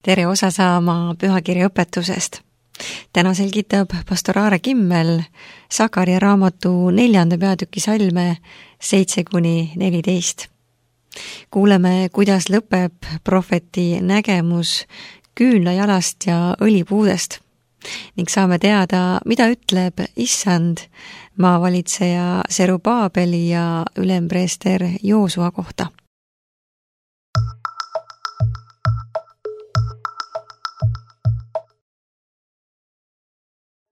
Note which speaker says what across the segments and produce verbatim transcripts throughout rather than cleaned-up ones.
Speaker 1: tere osa saama pühakirja õpetusest. Täna selgitab pastor Aare Kimmel Sakaria raamatu neljanda peatüki salme seitse kuni neliteist. Kuuleme, kuidas lõpeb prohveti nägemus küünlajalast ja õlipuudest ning saame teada, mida ütleb Issand maavalitseja Serubaabeli ja ülempreester Joosua kohta.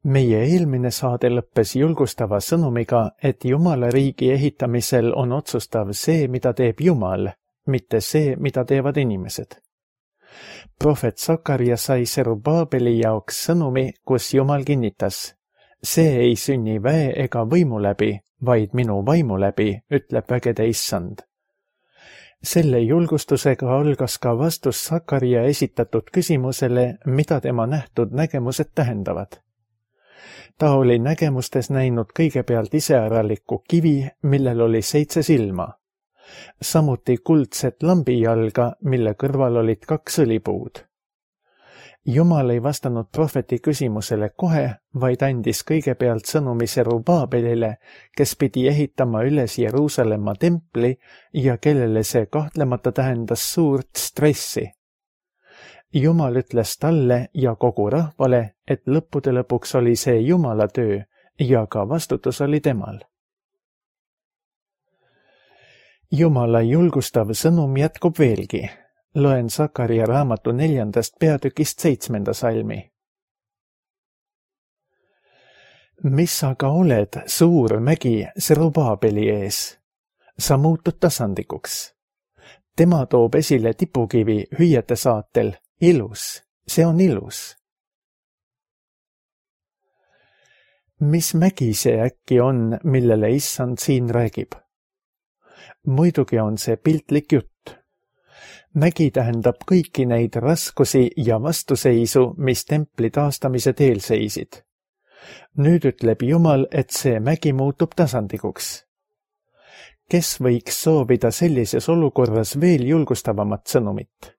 Speaker 2: Meie eelmine saade lõppes julgustava sõnumiga, et Jumala riigi ehitamisel on otsustav see, mida teeb Jumal, mitte see, mida teevad inimesed. Prohvet Sakaria sai Serubaabeli jaoks sõnumi, kus Jumal kinnitas: see ei sünni väe ega võimu läbi, vaid minu vaimu läbi, ütleb vägede Issand. Selle julgustusega algas ka vastus Sakaria esitatud küsimusele, mida tema nähtud nägemused tähendavad. Ta oli nägemustes näinud kõigepealt iseäralikku kivi, millel oli seitse silma. Samuti kuldset lambijalga, mille kõrval olid kaks õlipuud. Jumal ei vastanud prohveti küsimusele kohe, vaid andis kõigepealt sõnumi Serubaabelile, kes pidi ehitama üles Jeruusalemma templi ja kellele see kahtlemata tähendas suurt stressi. Jumal ütles talle ja kogu rahvale, et lõppude lõpuks oli see Jumala töö ja ka vastutus oli temal. Jumala julgustav sõnum jätkub veelgi. Loen Sakaria raamatu neljandast peatükist seitsmenda salmi. Mis aga oled, suur mägi Serubaabeli ees? Sa muutud tasandikuks. Tema toob esile tipukivi hüüete saatel. Ilus, see on ilus. Mis mägi see äkki on, millele Issand siin räägib? Muidugi on see piltlik jutt. Mägi tähendab kõiki neid raskusi ja vastuseisu, mis templi taastamise teel seisid. Nüüd ütleb Jumal, et see mägi muutub tasandikuks. Kes võiks soovida sellises olukorras veel julgustavamat sõnumit?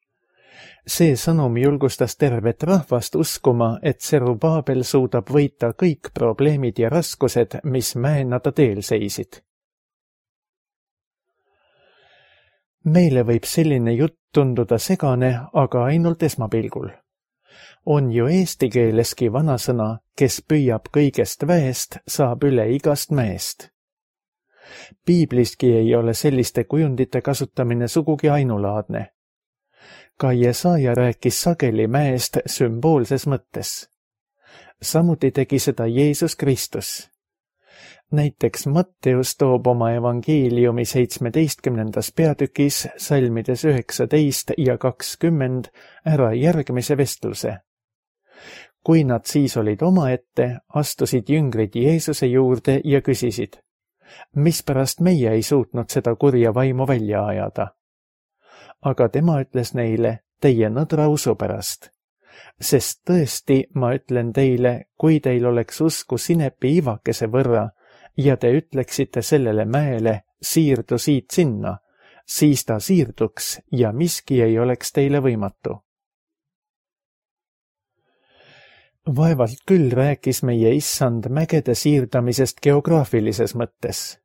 Speaker 2: See sõnum julgustas tervet rahvast uskuma, et Serubaabel suudab võita kõik probleemid ja raskused, mis mäena ta teel seisid. Meile võib selline jutt tunduda segane, aga ainult esmapilgul. On ju eesti keeleski vanasõna, kes püüab kõigest väest, saab üle igast mäest. Piibliski ei ole selliste kujundite kasutamine sugugi ainulaadne. Ka Jesaja rääkis sageli mäest sümboolses mõttes. Samuti tegi seda Jeesus Kristus. Näiteks Matteus toob oma evangeeliumi seitsmeteistkümnendas peatükis salmides üheksateist ja kakskümmend ära järgmise vestluse. Kui nad siis olid omaette, astusid jüngrid Jeesuse juurde ja küsisid: mispärast meie ei suutnud seda kurja vaimu välja ajada? Aga tema ütles neile: teie nõdra usu pärast. Sest tõesti, ma ütlen teile, kui teil oleks usku sinepi ivakese võrra ja te ütleksite sellele mäele: siirdu siit sinna, siis ta siirduks ja miski ei oleks teile võimatu. Vaevalt küll rääkis meie Issand mägede siirdamisest geograafilises mõttes.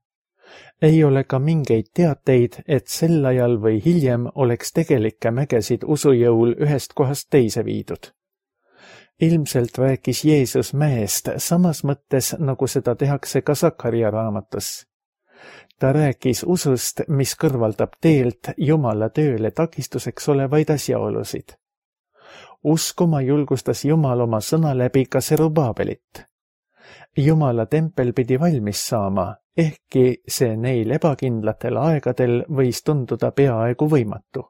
Speaker 2: Ei ole ka mingeid teateid, et sel ajal või hiljem oleks tegelikke mägesid usujõul ühest kohast teise viidud. Ilmselt rääkis Jeesus mäest samas mõttes, nagu seda tehakse ka Sakaria raamatus. Ta rääkis usust, mis kõrvaldab teelt Jumala tööle takistuseks olevaid asjaolusid. Uskuma julgustas Jumal oma sõna läbi ka Serubaabelit. Jumala tempel pidi valmis saama, ehkki see neil ebakindlatel aegadel võis tunduda peaaegu võimatu.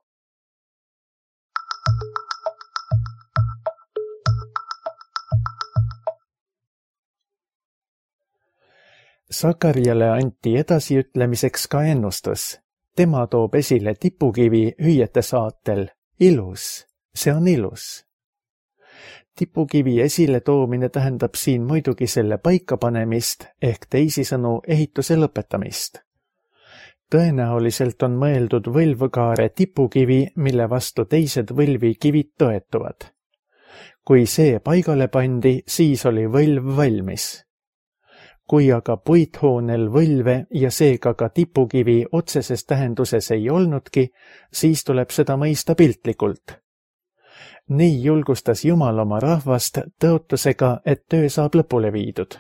Speaker 2: Sakariale anti edasiütlemiseks ka ennustus. Tema toob esile tipukivi hüüete saatel. Ilus, see on ilus. Tipukivi esile toomine tähendab siin muidugi selle paikapanemist ehk teisisõnu ehituse lõpetamist. Tõenäoliselt on mõeldud võlvkaare tipukivi, mille vastu teised võlvikivid toetuvad. Kui see paigale pandi, siis oli võlv valmis. Kui aga puithoonel võlve ja seega ka tipukivi otseses tähenduses ei olnudki, siis tuleb seda mõista piltlikult. Nii julgustas Jumal oma rahvast tõotusega, et töö saab lõpule viidud.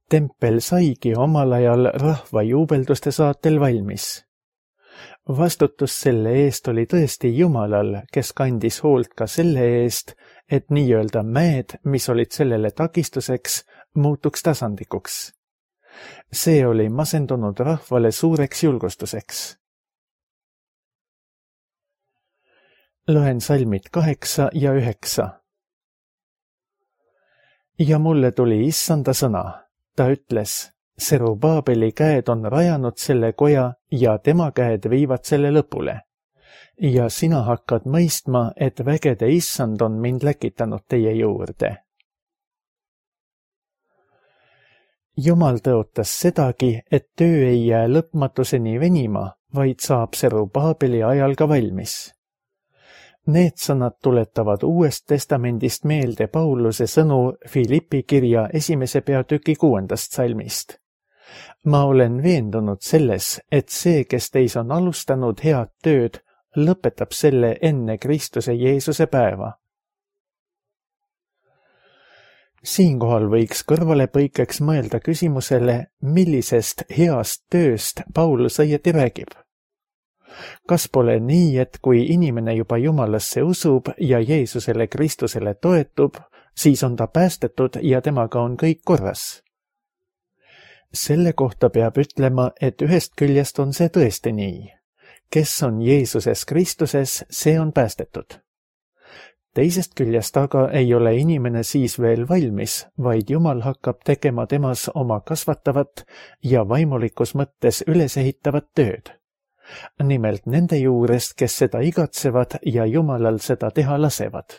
Speaker 2: Tempel saigi omal ajal rahva juubelduste saatel valmis. Vastutus selle eest oli tõesti Jumalal, kes kandis hoolt ka selle eest, et nii-öelda mäed, mis olid sellele takistuseks, muutuks tasandikuks. See oli masendunud rahvale suureks julgustuseks. Loen salmid kaheksa ja üheksa. Ja mulle tuli issanda sõna. Ta ütles, Serubaabeli käed on rajanud selle koja ja tema käed viivad selle lõpule. Ja sina hakkad mõistma, et vägede issand on mind läkitanud teie juurde. Jumal tõotas sedagi, et töö ei jää lõpmatuseni venima, vaid saab Serubaabeli ajal ka valmis. Need sõnad tuletavad Uuest Testamendist meelde Pauluse sõnu Filippi kirja esimese peatüki kuuendast salmist. Ma olen veendunud selles, et see, kes teis on alustanud head tööd, lõpetab selle enne Kristuse Jeesuse päeva. Siinkohal võiks kõrvalepõikeks mõelda küsimusele, millisest heast tööst Paulus õieti räägib. Kas pole nii, et kui inimene juba Jumalasse usub ja Jeesusele Kristusele toetub, siis on ta päästetud ja temaga on kõik korras? Selle kohta peab ütlema, et ühest küljest on see tõesti nii. Kes on Jeesuses Kristuses, see on päästetud. Teisest küljest aga ei ole inimene siis veel valmis, vaid Jumal hakkab tegema temas oma kasvatavat ja vaimulikus mõttes ülesehitavat tööd. Nimelt nende juurest, kes seda igatsevad ja Jumalal seda teha lasevad.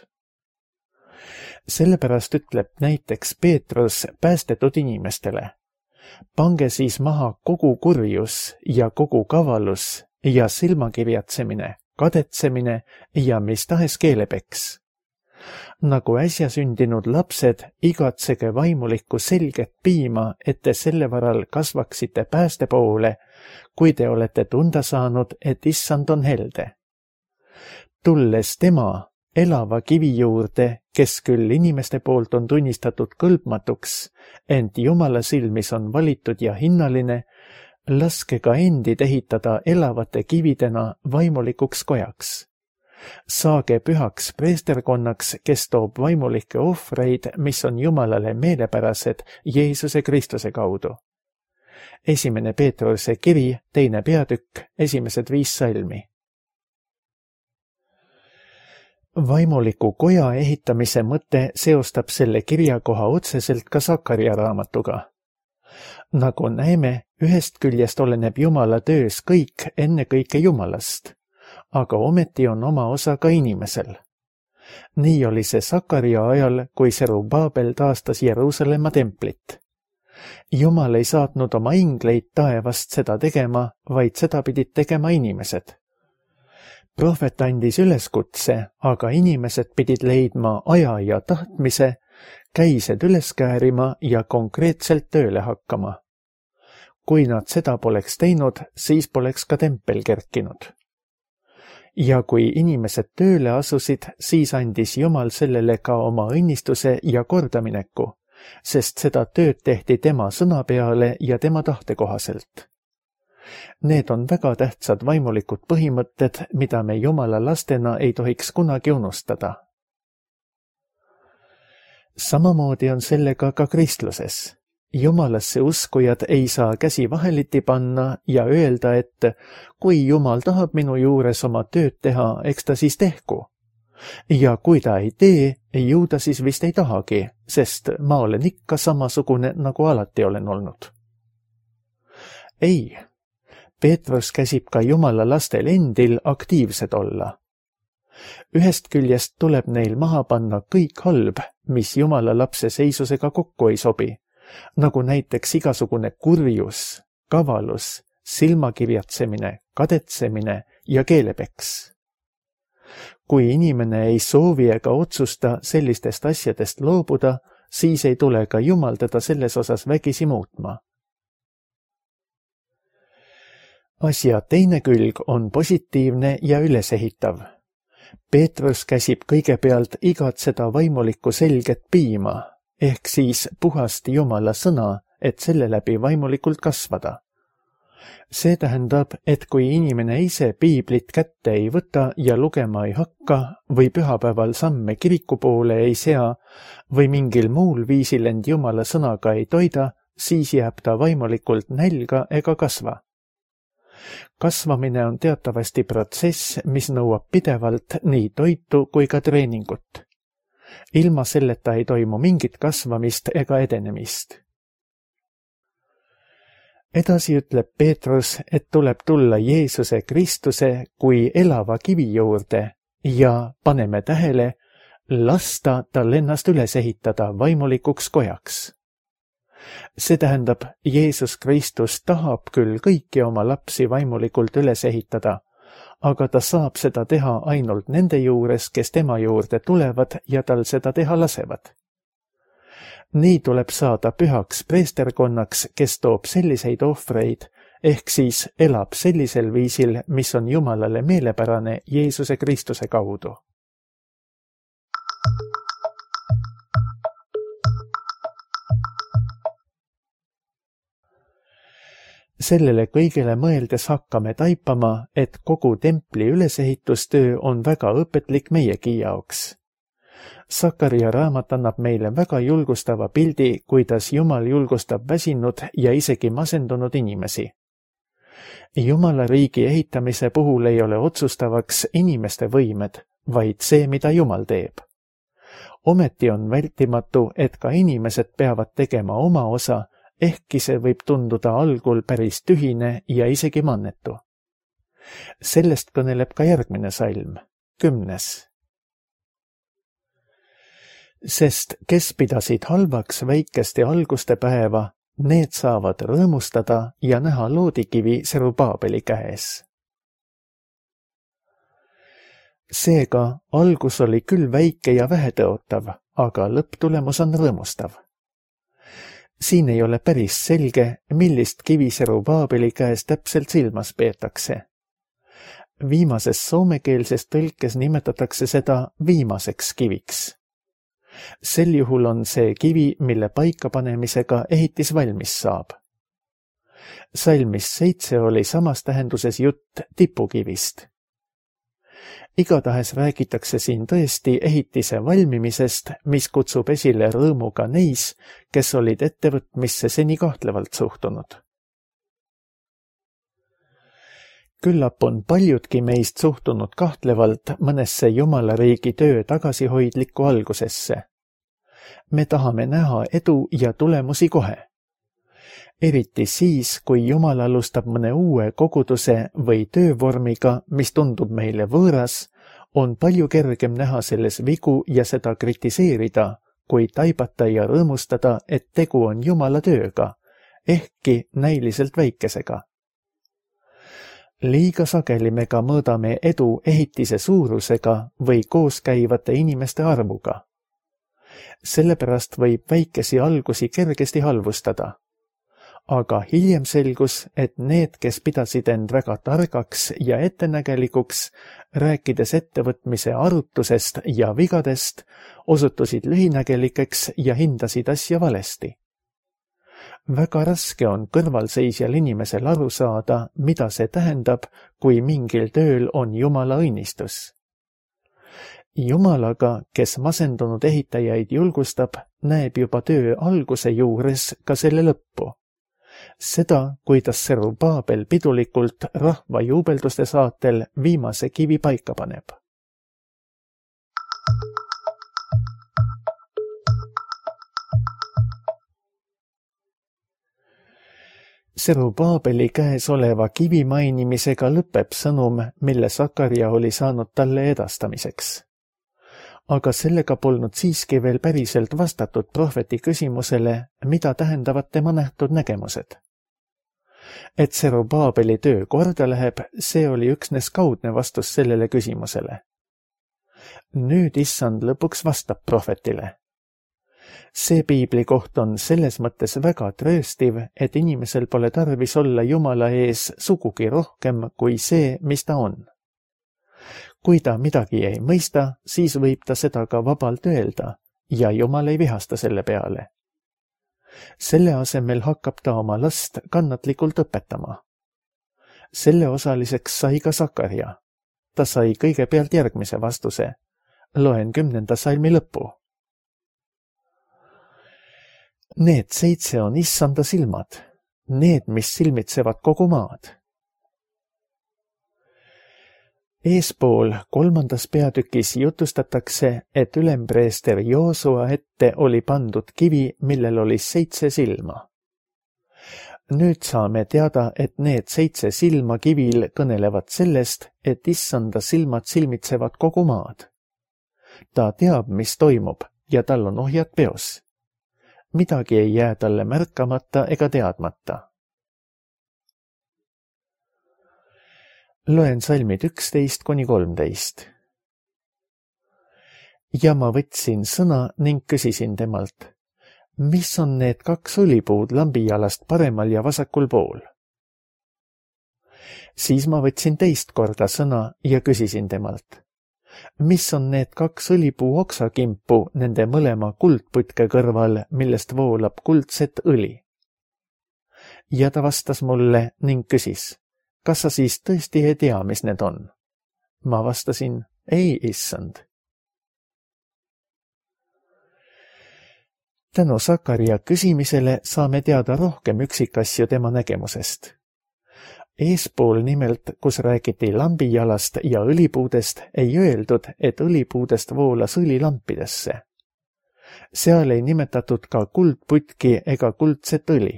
Speaker 2: Sellepärast ütleb näiteks Peetrus päästetud inimestele. Pange siis maha kogu kurjus ja kogu kavalus ja silmakirjatsemine, kadetsemine ja mis tahes keelepeks. Nagu äsja sündinud lapsed, igatsege vaimulikku selget piima, et te selle varal kasvaksite pääste poole, kui te olete tunda saanud, et issand on helde. Tulles tema, elava kivi juurde, kes küll inimeste poolt on tunnistatud kõlbmatuks, ent Jumala silmis on valitud ja hinnaline, laske ka endid ehitada elavate kividena vaimulikuks kojaks. Saage pühaks preesterkonnaks, kes toob vaimulikke ohvreid, mis on Jumalale meelepärased Jeesuse Kristuse kaudu. Esimene Peetruse kiri, teine peatükk, esimesed viis salmi. Vaimuliku koja ehitamise mõte seostab selle kirjakoha otseselt ka Sakaria raamatuga. Nagu näeme, ühest küljest oleneb Jumala töös kõik ennekõike Jumalast, aga ometi on oma osa ka inimesel. Nii oli see Sakaria ajal, kui Serubaabel taastas Jeruusalemma templit. Jumal ei saatnud oma ingleid taevast seda tegema, vaid seda pidid tegema inimesed. Prohvet andis üleskutse, aga inimesed pidid leidma aja ja tahtmise, käised üles käärima ja konkreetselt tööle hakkama. Kui nad seda poleks teinud, siis poleks ka tempel kerkinud. Ja kui inimesed tööle asusid, siis andis Jumal sellele ka oma õnnistuse ja kordamineku, sest seda tööd tehti tema sõna peale ja tema tahte kohaselt. Need on väga tähtsad vaimulikud põhimõtted, mida me Jumala lastena ei tohiks kunagi unustada. Samamoodi on sellega ka kristluses. Jumalasse uskujad ei saa käsi vaheliti panna ja öelda, et kui Jumal tahab minu juures oma tööd teha, eks ta siis tehku. Ja kui ta ei tee, ju ta siis vist ei tahagi, sest ma olen ikka samasugune, nagu alati olen olnud. Ei, Peetrus käsib ka Jumala lastel endil aktiivsed olla. Ühest küljest tuleb neil maha panna kõik halb, mis Jumala lapse seisusega kokku ei sobi, nagu näiteks igasugune kurjus, kavalus, silmakirjatsemine, kadetsemine ja keelepeks. Kui inimene ei soovi ega otsusta sellistest asjadest loobuda, siis ei tule ka Jumal teda selles osas vägisi muutma. Asja teine külg on positiivne ja ülesehitav. Peetrus käsib kõigepealt igatseda vaimulikku selget piima, ehk siis puhast Jumala sõna, et selle läbi vaimulikult kasvada. See tähendab, et kui inimene ise piiblit kätte ei võta ja lugema ei hakka või pühapäeval samme kiriku poole ei sea või mingil muul viisil end Jumala sõnaga ei toida, siis jääb ta vaimulikult nälga ega kasva. Kasvamine on teatavasti protsess, mis nõuab pidevalt nii toitu kui ka treeningut. Ilma selleta ei toimu mingit kasvamist ega edenemist. Edasi ütleb Peetrus, et tuleb tulla Jeesuse Kristuse kui elava kivi juurde ja paneme tähele, lasta tal ennast üles ehitada vaimulikuks kojaks. See tähendab, Jeesus Kristus tahab küll kõiki oma lapsi vaimulikult üles ehitada, aga ta saab seda teha ainult nende juures, kes tema juurde tulevad ja tal seda teha lasevad. Nii tuleb saada pühaks preesterkonnaks, kes toob selliseid ohvreid, ehk siis elab sellisel viisil, mis on Jumalale meelepärane Jeesuse Kristuse kaudu. Sellele kõigele mõeldes hakkame taipama, et kogu templi ülesehitustöö on väga õpetlik meiegi jaoks. Sakaria raamat annab meile väga julgustava pildi, kuidas Jumal julgustab väsinud ja isegi masendunud inimesi. Jumala riigi ehitamise puhul ei ole otsustavaks inimeste võimed, vaid see, mida Jumal teeb. Ometi on vältimatu, et ka inimesed peavad tegema oma osa, ehkki see võib tunduda algul päris tühine ja isegi mannetu. Sellest kõneleb ka järgmine salm, kümnes. Sest kes pidasid halvaks väikest ja alguste päeva, need saavad rõõmustada ja näha loodikivi Serubaabeli käes. Seega algus oli küll väike ja vähetõotav, aga lõpptulemus on rõõmustav. Siin ei ole päris selge, millist kivi Serubaabeli käes täpselt silmas peetakse. Viimases soomekeelses tõlkes nimetatakse seda viimaseks kiviks. Sel juhul on see kivi, mille paikapanemisega ehitis valmis saab. Salmis seitse oli samas tähenduses jutt tipukivist. Igatahes räägitakse siin tõesti ehitise valmimisest, mis kutsub esile rõõmu ka neis, kes olid ettevõtmisse seni kahtlevalt suhtunud. Küllap on paljudki meist suhtunud kahtlevalt mõnesse Jumala riigi töö tagasihoidlikku algusesse. Me tahame näha edu ja tulemusi kohe. Eriti siis, kui Jumal alustab mõne uue koguduse või töövormiga, mis tundub meile võõras, on palju kergem näha selles vigu ja seda kritiseerida, kui taibata ja rõõmustada, et tegu on Jumala tööga, ehkki näiliselt väikesega. Liiga sageli me ka mõõdame edu ehitise suurusega või kooskäivate inimeste arvuga. Sellepärast võib väikesi algusi kergesti halvustada. Aga hiljem selgus, et need, kes pidasid end väga targaks ja ettenägelikuks, rääkides ettevõtmise arutusest ja vigadest, osutusid lühinägelikeks ja hindasid asja valesti. Väga raske on kõrvalseisjal inimesel aru saada, mida see tähendab, kui mingil tööl on Jumala õnnistus. Jumalaga, kes masendunud ehitajaid julgustab, näeb juba töö alguse juures ka selle lõppu. Seda, kuidas Serubaabel pidulikult rahva juubelduste saatel viimase kivi paika paneb. Serubaabeli käes oleva kivi mainimisega lõpeb sõnum, mille Sakaria oli saanud talle edastamiseks. Aga sellega polnud siiski veel päriselt vastatud prohveti küsimusele, mida tähendavad tema nähtud nägemused. et Serubaabeli töö korda läheb, see oli üksnes kaudne vastus sellele küsimusele. Nüüd issand lõpuks vastab prohvetile. See piibli koht on selles mõttes väga trööstiv, et inimesel pole tarvis olla Jumala ees sugugi rohkem kui see, mis ta on. Kui ta midagi ei mõista, siis võib ta seda ka vabalt öelda ja Jumal ei vihasta selle peale. Selle asemel hakkab ta oma last kannatlikult õpetama. Selle osaliseks sai ka Sakarja. Ta sai kõigepealt järgmise vastuse. Loen kümnenda salmi lõppu. Need seitse on issanda silmad, need, mis silmitsevad kogu maad. Eespool kolmandas peatükis jutustatakse, et ülempreester Joosua ette oli pandud kivi, millel oli seitse silma. Nüüd saame teada, et need seitse silma kivil kõnelevad sellest, et issanda silmad silmitsevad kogu maad. Ta teab, mis toimub ja tal on ohjad peos. Midagi ei jää talle märkamata ega teadmata. Loen salmid üksteist kuni kolmteist. Ja ma võtsin sõna ning küsisin temalt, mis on need kaks õlipuud lambijalast paremal ja vasakul pool? Siis ma võtsin teist korda sõna ja küsisin temalt, mis on need kaks õlipuu oksakimpu nende mõlema kuldputke kõrval, millest voolab kuldset õli? Ja ta vastas mulle ning küsis, kas sa siis tõesti ei tea, mis need on? Ma vastasin, ei, issand. Tänu Sakarja küsimisele saame teada rohkem üksikasju tema nägemusest. Eespool nimelt, kus räägiti lambijalast ja õlipuudest, ei öeldud, et õlipuudest voolas õli lampidesse. Seal ei nimetatud ka kuldputki ega kuldset õli.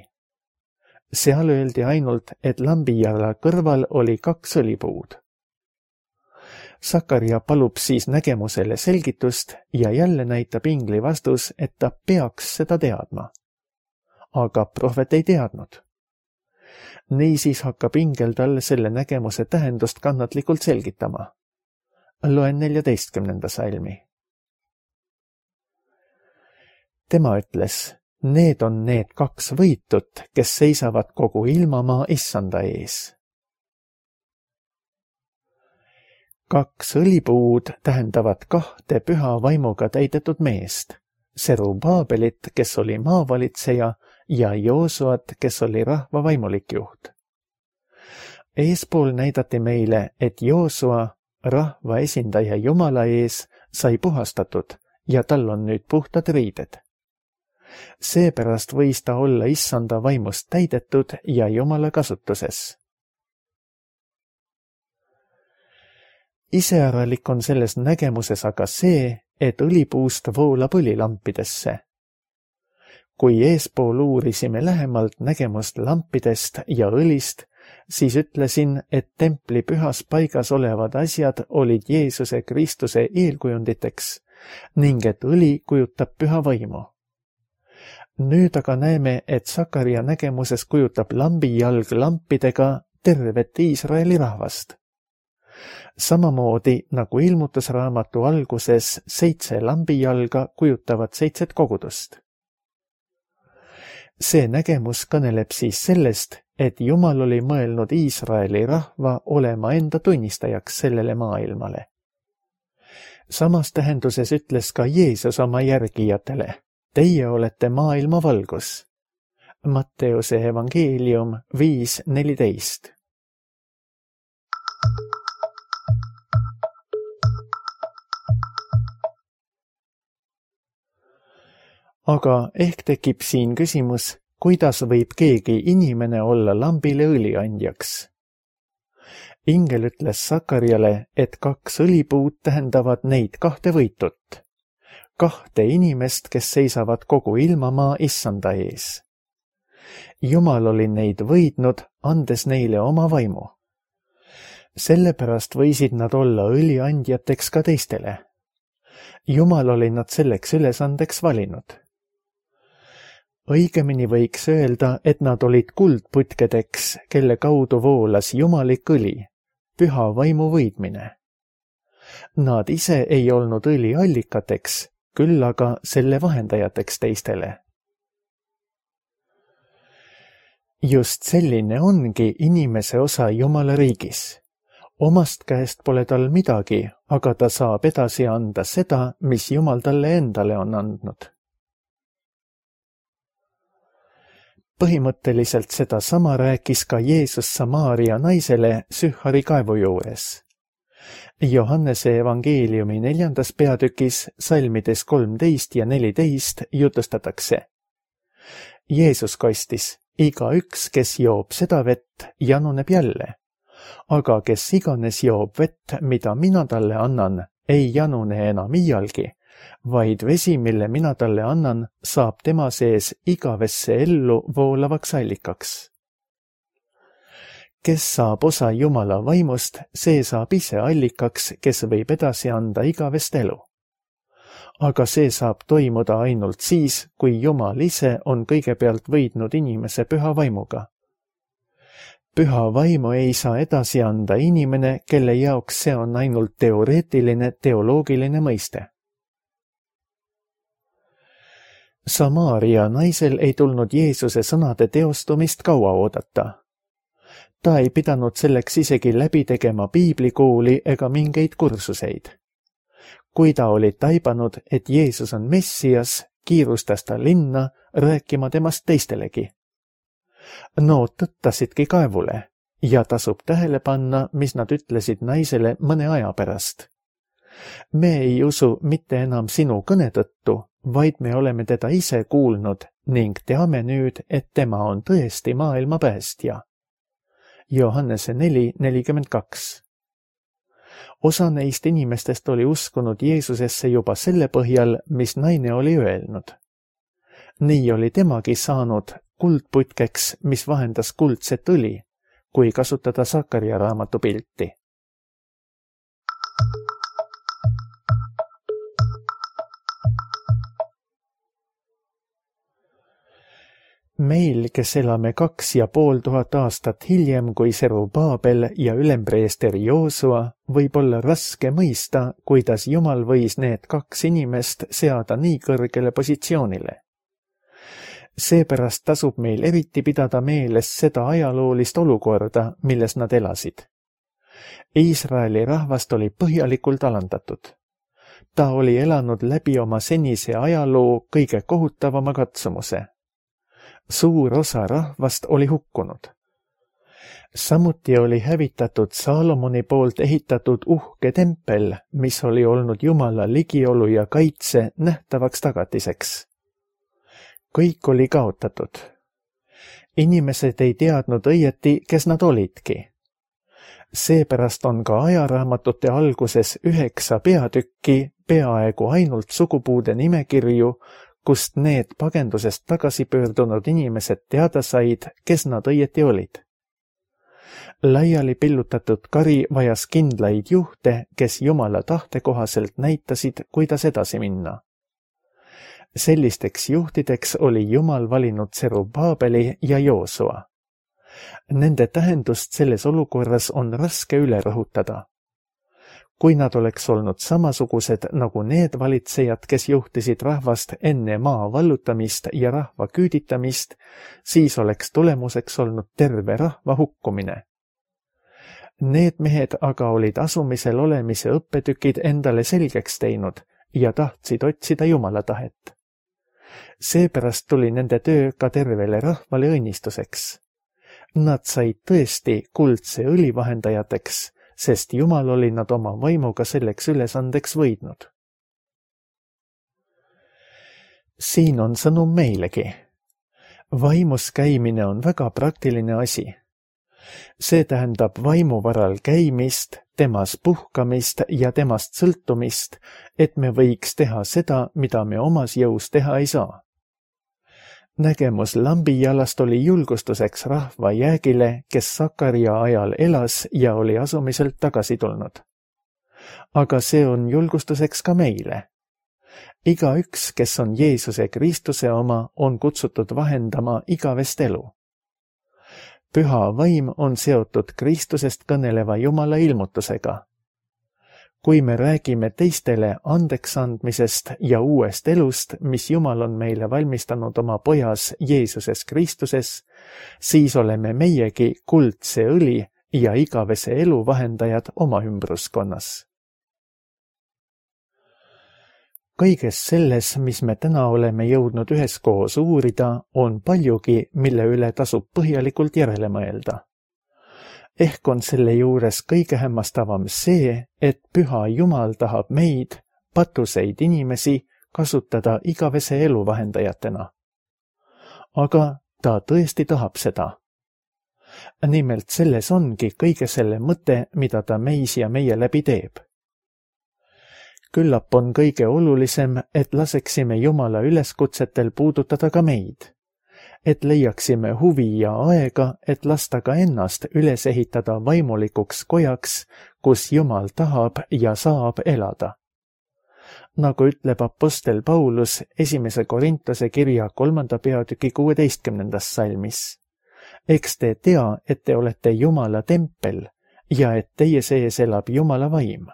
Speaker 2: Seal öeldi ainult, et lambijala kõrval oli kaks õlipuud. Sakarja palub siis nägemusele selgitust ja jälle näitab ingli vastus, et ta peaks seda teadma. Aga prohvet ei teadnud. Niisiis hakkab ingel talle selle nägemuse tähendust kannatlikult selgitama. Loen neljateistkümnenda salmi. Tema ütles, need on need kaks võitut, kes seisavad kogu ilmamaa issanda ees. Kaks õlipuud tähendavad kahte püha vaimuga täidetud meest, Serubaabelit, kes oli maavalitseja, ja Joosuat, kes oli rahva vaimulik juht. Eespool näidati meile, et Joosua, rahva esindaja Jumala ees, sai puhastatud ja tal on nüüd puhtad riided. Seepärast võis ta olla issanda vaimust täidetud ja Jumala kasutuses. Iseäralik on selles nägemuses aga see, et õlipuust voolab õli lampidesse. Kui eespool uurisime lähemalt nägemust lampidest ja õlist, siis ütlesin, et templi pühas paigas olevad asjad olid Jeesuse Kristuse eelkujunditeks ning et õli kujutab püha vaimu. Nüüd aga näeme, et Sakarja nägemuses kujutab lambijalg lampidega tervet Iisraeli rahvast. Samamoodi nagu ilmutusraamatu alguses seitse lambijalga kujutavad seitset kogudust. See nägemus kõneleb siis sellest, et Jumal oli mõelnud Iisraeli rahva olema enda tunnistajaks sellele maailmale. Samas tähenduses ütles ka Jeesus oma järgijatele, teie olete maailma valgus. Matteuse evangeelium viis neliteist. Aga ehk tekib siin küsimus, kuidas võib keegi inimene olla lambile õliandjaks? Ingel ütles Sakarjale, et kaks õlipuud tähendavad neid kahte võitut, kahte inimest, kes seisavad kogu ilmamaa issanda ees. Jumal oli neid võidnud, andes neile oma vaimu. Sellepärast võisid nad olla õliandjateks ka teistele. Jumal oli nad selleks ülesandeks valinud. õigemini võiks öelda, et nad olid kuldputkedeks, kelle kaudu voolas jumalik õli, püha vaimu võidmine. Nad ise ei olnud õli allikateks, küll aga selle vahendajateks teistele. Just selline ongi inimese osa Jumala riigis. Omast käest pole tal midagi, aga ta saab edasi anda seda, mis Jumal talle endale on andnud. Põhimõtteliselt seda sama rääkis ka Jeesus Samaaria naisele Sühari kaevu juures. Johannese evangeeliumi neljandas peatükis salmides kolmteist ja neliteist jutustatakse. Jeesus kostis, igaüks, kes joob seda vett, januneb jälle, aga kes iganes joob vett, mida mina talle annan, ei janune enam iialgi, vaid vesi, mille mina talle annan, saab tema sees igavesse ellu voolavaks allikaks. Kes saab osa Jumala vaimust, see saab ise allikaks, kes võib edasi anda igavest elu. Aga see saab toimuda ainult siis, kui Jumal ise on kõigepealt võidnud inimese püha vaimuga. Püha vaimu ei saa edasi anda inimene, kelle jaoks see on ainult teoreetiline, teoloogiline mõiste. Samaaria naisel ei tulnud Jeesuse sõnade teostumist kaua oodata. Ta ei pidanud selleks isegi läbi tegema piiblikooli ega mingeid kursuseid. Kui ta oli taibanud, et Jeesus on Messias, kiirustas ta linna rääkima temast teistelegi. Nood tõttasidki kaevule ja tasub tähele panna, mis nad ütlesid naisele mõne aja pärast. Me ei usu mitte enam sinu kõne tõttu, vaid me oleme teda ise kuulnud ning teame nüüd, et tema on tõesti maailma päästja. Johannese neli nelikümmend kaks. Osa neist inimestest oli uskunud Jeesusesse juba selle põhjal, mis naine oli öelnud. Nii oli temagi saanud kuldputkeks, mis vahendas kuldset õli, kui kasutada Sakaria raamatu pilti. Meil, kes elame kaks ja pool tuhat aastat hiljem kui Serubaabel ja ülempreester Joosua, võib olla raske mõista, kuidas Jumal võis need kaks inimest seada nii kõrgele positsioonile. Seepärast tasub meil eriti pidada meeles seda ajaloolist olukorda, milles nad elasid. Iisraeli rahvast oli põhjalikult alandatud. Ta oli elanud läbi oma senise ajaloo kõige kohutavama katsumuse. Suur osa rahvast oli hukkunud. Samuti oli hävitatud Saalomoni poolt ehitatud uhke tempel, mis oli olnud Jumala ligiolu ja kaitse nähtavaks tagatiseks. Kõik oli kaotatud. Inimesed ei teadnud õieti, kes nad olidki. Seepärast on ka ajaraamatute alguses üheksa peatükki peaaegu ainult sugupuude nimekirju, kust need pagendusest tagasi pöördunud inimesed teada said, kes nad õieti olid. Laiali pillutatud kari vajas kindlaid juhte, kes Jumala tahte kohaselt näitasid, kuidas edasi minna. Sellisteks juhtideks oli Jumal valinud Serubaabeli ja Joosua. Nende tähendust selles olukorras on raske üle rõhutada. Kui nad oleks olnud samasugused nagu need valitsejad, kes juhtisid rahvast enne maa vallutamist ja rahva küüditamist, siis oleks tulemuseks olnud terve rahva hukkumine. Need mehed aga olid asumisel olemise õppetükid endale selgeks teinud ja tahtsid otsida Jumala tahet. Seepärast tuli nende töö ka tervele rahvale õnnistuseks. Nad said tõesti kuldse õli vahendajateks, sest Jumal oli nad oma vaimuga selleks ülesandeks võidnud. Siin on sõnum meilegi. Vaimus käimine on väga praktiline asi. See tähendab vaimu varal käimist, temas puhkamist ja temast sõltumist, et me võiks teha seda, mida me omas jõus teha ei saa. Nägemus lambijalast oli julgustuseks rahva jäägile, kes Sakaria ajal elas ja oli asumiselt tagasi tulnud. Aga see on julgustuseks ka meile. igaüks, kes on Jeesuse Kristuse oma, on kutsutud vahendama igavest elu. Püha vaim on seotud Kristusest kõneleva Jumala ilmutusega. Kui me räägime teistele andeks andmisest ja uuest elust, mis Jumal on meile valmistanud oma pojas Jeesuses Kristuses, siis oleme meiegi kuldse õli ja igavese elu vahendajad oma ümbruskonnas. Kõiges selles, mis me täna oleme jõudnud üheskoos uurida, on paljugi, mille üle tasub põhjalikult järele mõelda. Ehk on selle juures kõige hämmastavam see, et püha Jumal tahab meid, patuseid inimesi, kasutada igavese elu vahendajatena. Aga ta tõesti tahab seda. Nimelt selles ongi kõige selle mõte, mida ta meis ja meie läbi teeb. Küllap on kõige olulisem, et laseksime Jumala üleskutsetel puudutada ka meid. Et leiaksime huvi ja aega, et lasta ka ennast üles ehitada vaimulikuks kojaks, kus Jumal tahab ja saab elada. Nagu ütleb apostel Paulus esimese Korintuse kirja kolmanda peatüki kuueteistkümnendas salmis. Eks te tea, et te olete Jumala tempel ja et teie sees elab Jumala vaim.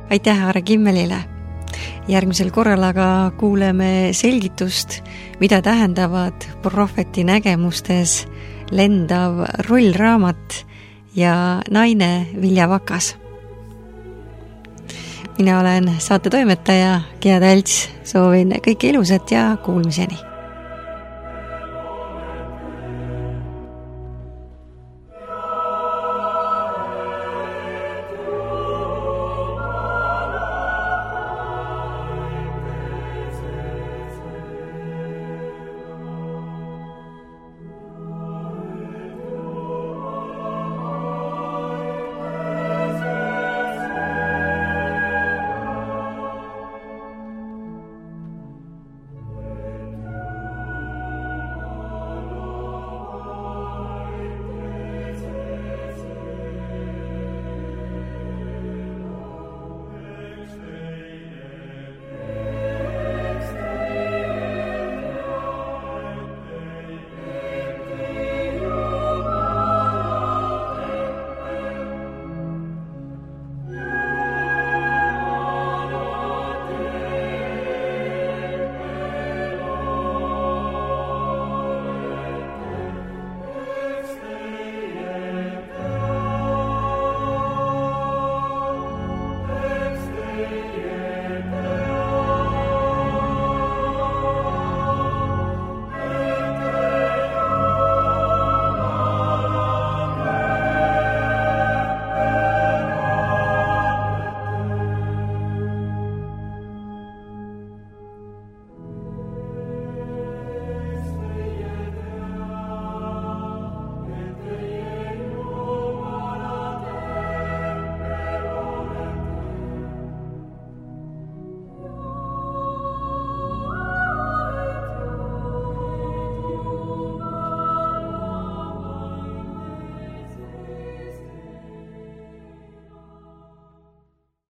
Speaker 1: Aitäh Aare Kimmelile. Järgmisel korral aga kuuleme selgitust, mida tähendavad prohveti nägemustes lendav rollraamat ja naine viljavakas. Mina olen saate toimetaja Gea Talts, soovin kõike ilusat ja kuulmiseni.